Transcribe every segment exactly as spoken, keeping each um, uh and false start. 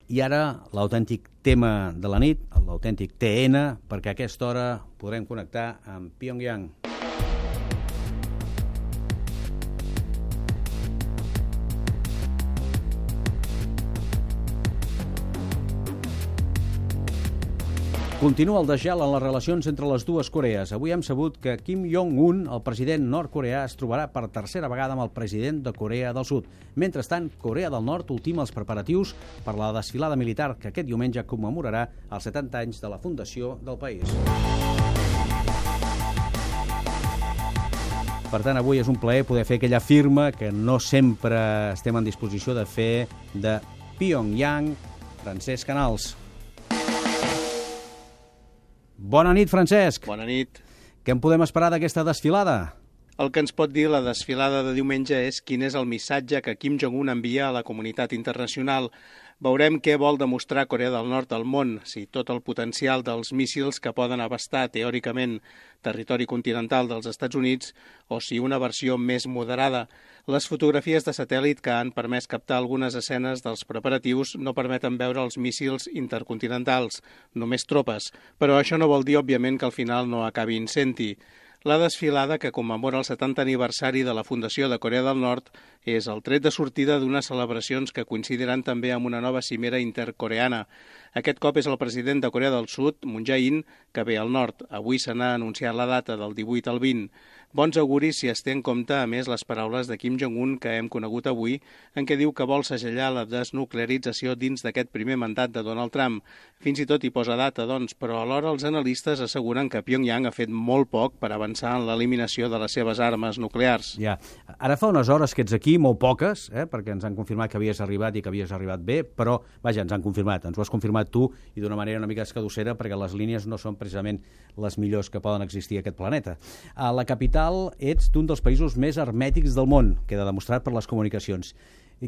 I ara l'autèntic tema de la nit, l'autèntic T N, perquè a aquesta hora podrem connectar amb Pyongyang. Continua el desgel en les relacions entre les dues Corees. Avui hem sabut que Kim Jong-un, el president nord-coreà, es trobarà per tercera vegada amb el president de Corea del Sud. Mentrestant, Corea del Nord ultima els preparatius per la desfilada militar que aquest diumenge commemorarà els setanta anys de la fundació del país. Per tant, avui és un plaer poder fer aquella firma que no sempre estem en disposició de fer de Pyongyang. Francesc Canals. Bona nit, Francesc. Bona nit. Què en podem esperar d'aquesta desfilada? El que ens pot dir la desfilada de diumenge és quin és el missatge que Kim Jong-un envia a la comunitat internacional. Veurem què vol demostrar Corea del Nord al món, si tot el potencial dels míssils que poden abastar teòricament territori continental dels Estats Units o si una versió més moderada. Les fotografies de satèl·lit que han permès captar algunes escenes dels preparatius no permeten veure els míssils intercontinentals, només tropes, però això no vol dir, òbviament, que al final no acabi incenti. La desfilada, que commemora el setanta aniversari de la fundació de Corea del Nord, és el tret de sortida d'unes celebracions que coincidiran també amb una nova cimera intercoreana. Aquest cop és el president de Corea del Sud, Moon Jae-in, que ve al nord. Avui se n'ha anunciat la data del divuit al vint. Bons auguris si es té en compte, a més, les paraules de Kim Jong-un que hem conegut avui, en què diu que vol segellar la desnuclearització dins d'aquest primer mandat de Donald Trump. Fins i tot hi posa data, doncs, però alhora els analistes asseguren que Pyongyang ha fet molt poc per avançar en l'eliminació de les seves armes nuclears. Ja. Ara fa unes hores que ets aquí, molt poques, eh, perquè ens han confirmat que havies arribat i que havies arribat bé, però, vaja, ens han confirmat, ens ho has confirmat tu i d'una manera una mica escadussera perquè les línies no són precisament les millors que poden existir a aquest planeta. A la capital ets d'un dels països més hermètics del món, queda demostrat per les comunicacions.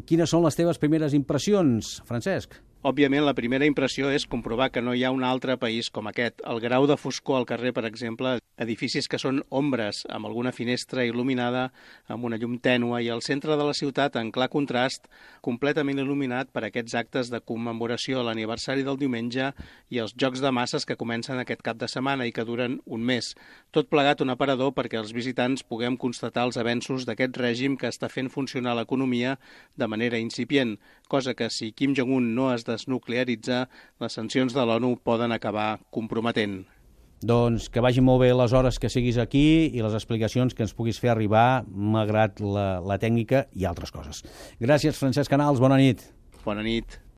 Quines són les teves primeres impressions, Francesc? Òbviament, la primera impressió és comprovar que no hi ha un altre país com aquest. El grau de foscor al carrer, per exemple, edificis que són ombres, amb alguna finestra il·luminada, amb una llum tènua, i al centre de la ciutat, en clar contrast, completament il·luminat per aquests actes de commemoració a l'aniversari del diumenge i els jocs de masses que comencen aquest cap de setmana i que duren un mes. Tot plegat un aparador perquè els visitants puguem constatar els avenços d'aquest règim que està fent funcionar l'economia de manera incipient, cosa que si Kim Jong-un no es desnuclearitza, les sancions de l'ONU poden acabar comprometent. Doncs que vagi molt bé les hores que siguis aquí i les explicacions que ens puguis fer arribar, malgrat la, la tècnica i altres coses. Gràcies, Francesc Canals, bona nit. Bona nit.